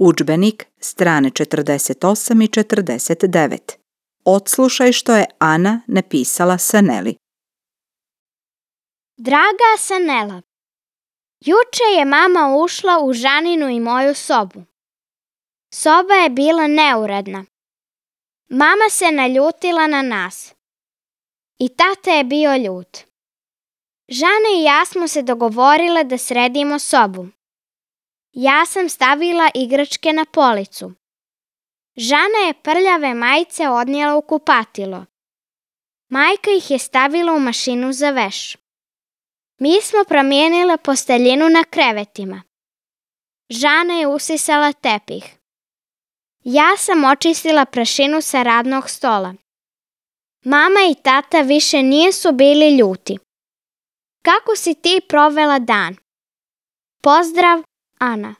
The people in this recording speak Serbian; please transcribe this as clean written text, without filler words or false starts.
Udžbenik, strane 48 i 49. Odslušaj što je Ana napisala Saneli. Draga Sanela, juče je mama ušla u Žaninu i moju sobu. Soba je bila neuredna. Mama se naljutila na nas. I tata je bio ljut. Žana i ja smo se dogovorile da sredimo sobu. Ja sam stavila igračke na policu. Žana je prljave majice odnijela u kupatilo. Majka ih je stavila u mašinu za veš. Mi smo promijenile posteljinu na krevetima. Žana je usisala tepih. Ja sam očistila prašinu sa radnog stola. Mama i tata više nisu bili ljuti. Kako si ti provela dan? Pozdrav, Ana.